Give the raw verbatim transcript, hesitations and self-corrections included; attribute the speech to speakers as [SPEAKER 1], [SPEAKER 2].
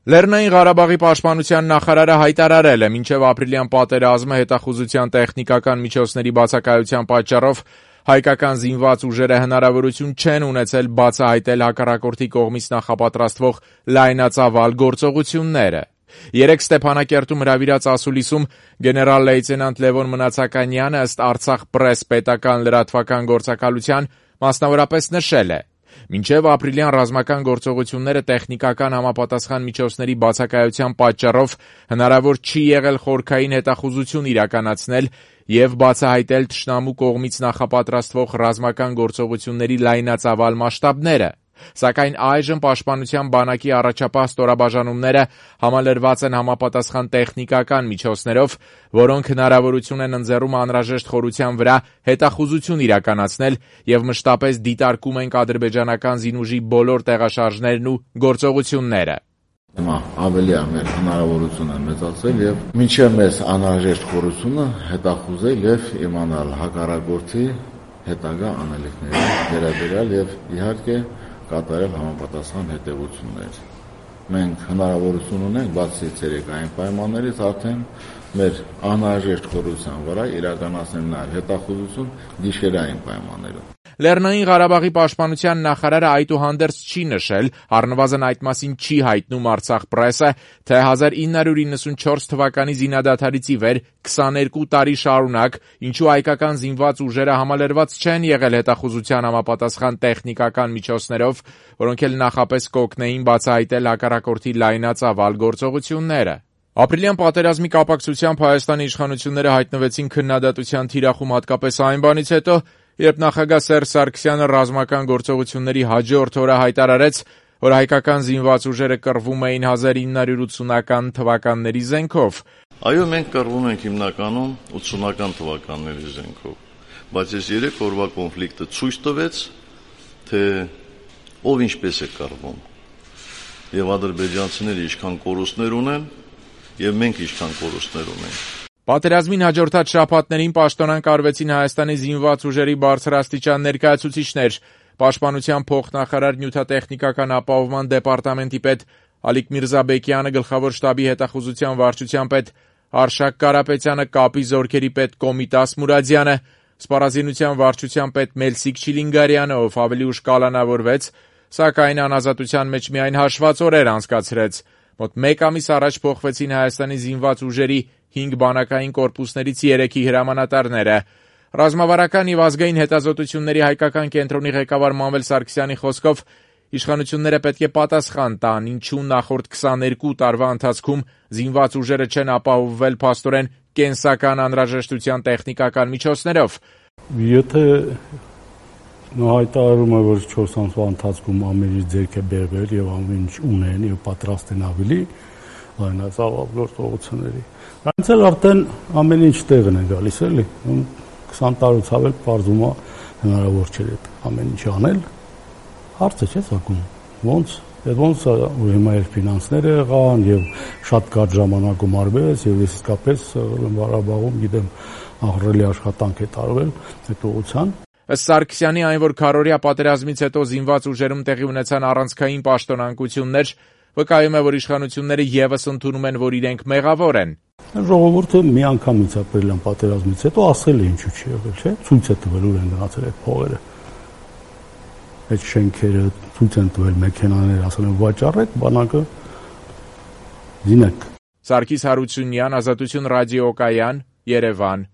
[SPEAKER 1] Լեռնային Ղարաբաղի պաշտպանության նախարարը հայտարարել է, մինչև ապրիլյան պատերազմը հետախուզության տեխնիկական միջոցների բացակայության պատճառով հայկական զինված ուժերը հնարավորություն չեն ունեցել բացահայտել հակառակորդի կողմից նախապատրաստվող լայնածավալ գործողությունները։ Երեկ Ստեփանակերտում հրավիրած ասուլիսում գեներալ-լեյտենանտ Լևոն Մնացականյանը ըստ Արցախ պրես պետական լրատվական գործակալության մասնավորապես նշել է. Մինչև ապրիլյան ռազմական գործողությունները տեխնիկական համապատասխան միջոցների բացակայության պատճառով հնարավոր չի եղել խորքային հետախուզություն իրականացնել և բացահայտել թշնամու կողմից նախապատրաստվող ռազմական գործողությունների լայնածավալ մասշտաբները։ Սակայն այժմ պաշտպանության բանակի առաջապահ ստորաբաժանումները համալրված են համապատասխան տեխնիկական միջոցներով, որոնք հնարավորություն են ընձեռում անհրաժեշտ խորության վրա հետախուզություն իրականացնել և մշտապես դիտարկում ենք ադրբեջանական զինուժի բոլոր տեղաշարժներն ու գործողությունները։
[SPEAKER 2] Հիմա ավելի է մեր հնարավորությունը մեծացել և մինչև մեզ անհրաժեշտ խորությունը հետախուզել և իմանալ հակառակորդի հետագա անելիքների վերաբերյալ և իհարկե կատարել համապատասխան հետևություններ։ Մենք հնարավորություն ունենք բացի ցերեկային պայմաններից արդեն մեր անհրաժեշտ խորության վրա իրականացնել նաև հետախուզություն գիշերային պայմաններում։
[SPEAKER 1] Լեռնային Ղարաբաղի պաշտպանության նախարարը այդուհանդերձ չի նշել, առնվազն այդ մասին չի հայտնում Արցախ պրեսը, թե հազար ինը հարյուր իննսունչորս թվականի զինադադարից ի վեր քսաներկու տարի շարունակ ինչու հայկական զինված ուժերը համալրված չեն եղել հետախուզության համապատասխան տեխնիկական միջոցներով, որոնք էլ նախապես կօգնեին բացահայտել հակառակորդի լայնածավալ գործողությունները։ Ապրիլյան պատերազմի կապակցությամբ Հայաստանի իշխանությունները հայտնվեցին քննադատության թիրախում հատկապես այն բանից հետո, երբ նախագահ Սերժ Սարգսյանը ռազմական գործողությունների հաջորդ օրը հայտարարեց, որ հայկական զինված ուժերը կռվում էին հազար ինը հարյուր ութսունական թվականների զենքով։
[SPEAKER 3] Այո, մենք կռվում ենք հիմնականում ութսունական թվականների զենքով, բայց այս երեք օրվա կոնֆլիկտը ցույց տվեց, թե ով ինչպես է կռվում, եւ ադրբեջանցիները ինչքան կորուստներ ունեն, եւ մենք ինչքան կորուստներ ունենք։
[SPEAKER 1] Պատերազմին հաջորդած շաբաթներին պաշտոնանկ արվեցին Հայաստանի զինված ուժերի բարձրաստիճան ներկայացուցիչներ։ Պաշտպանության փոխնախարար նյութատեխնիկական ապահովման դեպարտամենտի պետ Ալիկ Միրզաբեկյանը, գլխավոր շտաբի հետախուզության վարչության պետ Արշակ Կարապետյանը, կապի զորքերի պետ Կոմիտաս Մուրադյանը, սպառազինության վարչության պետ Մելսիկ Չիլինգարյանը, ով ավելի ուշ կալանավորվեց, սակայն անազատության մեջ միայն հաշված օրեր անցկացրեց։ Մոտ մեկ ամիս առաջ փոխվեցին Հայաստանի զինված ուժերի հինգ բանակային կորպուսներից երեքի հրամանատարները։ Ռազմավարական և ազգային հետազոտությունների հայկական կենտրոնի ղեկավար Մանվել Սարգսյանի խոսքով իշխանությունները պետք է պատասխան տան, ինչու նախորդ քսաներկու տարվա ընթացքում զինված ուժերը չեն ապահովվել փաստորեն կենսական անհրաժեշտության տեխնիկական միջոցներով։
[SPEAKER 4] Եթե հայտարարում է, որ չորս ամսվա ընթացքում ամեն ինչ ձեռք է բերվել և ամեն ինչ ունեն և պատրաստ են ավելի լայնածավալ գործողությունների, այնց էլ արդեն ամեն ինչ տեղն է գալիս, էլի, քսան տարուց ավել պարզվում է հնարավոր չէ այդ ամեն ինչ անել, հարցը չէ ծագում, ոնց, այդ ոնց ու հիմա էլ ֆինանսները եղան և շատ կարճ ժամանակում արվեց և իսկապես Ղարաբաղում գիտեմ ահռելի աշխատանք է տարվել այդ ուղղության։
[SPEAKER 1] Ըստ Սարգսյանի, այն որ քառօրյա պատերազմից հետո զինված ուժերում տեղի ունեցան առանցքային պաշտոնանկություններ, վկայում է, որ իշխանությունները ևս ընդունում են, որ իրենք մեղավոր են։
[SPEAKER 4] Ժողովուրդը միանգամից ապրիլյան պատերազմից հետո ասել է ինչու չի եղել, չէ՞, ցույց է տվել ուր են գնացել այդ փողերը, այդ շենքերը, ցույց են տվել մեքենաները, ասել են վաճառեք, բանակը դինեք։
[SPEAKER 1] Սարգիս Հարությունյան, Ազատություն ռադիոկայան, Երևան։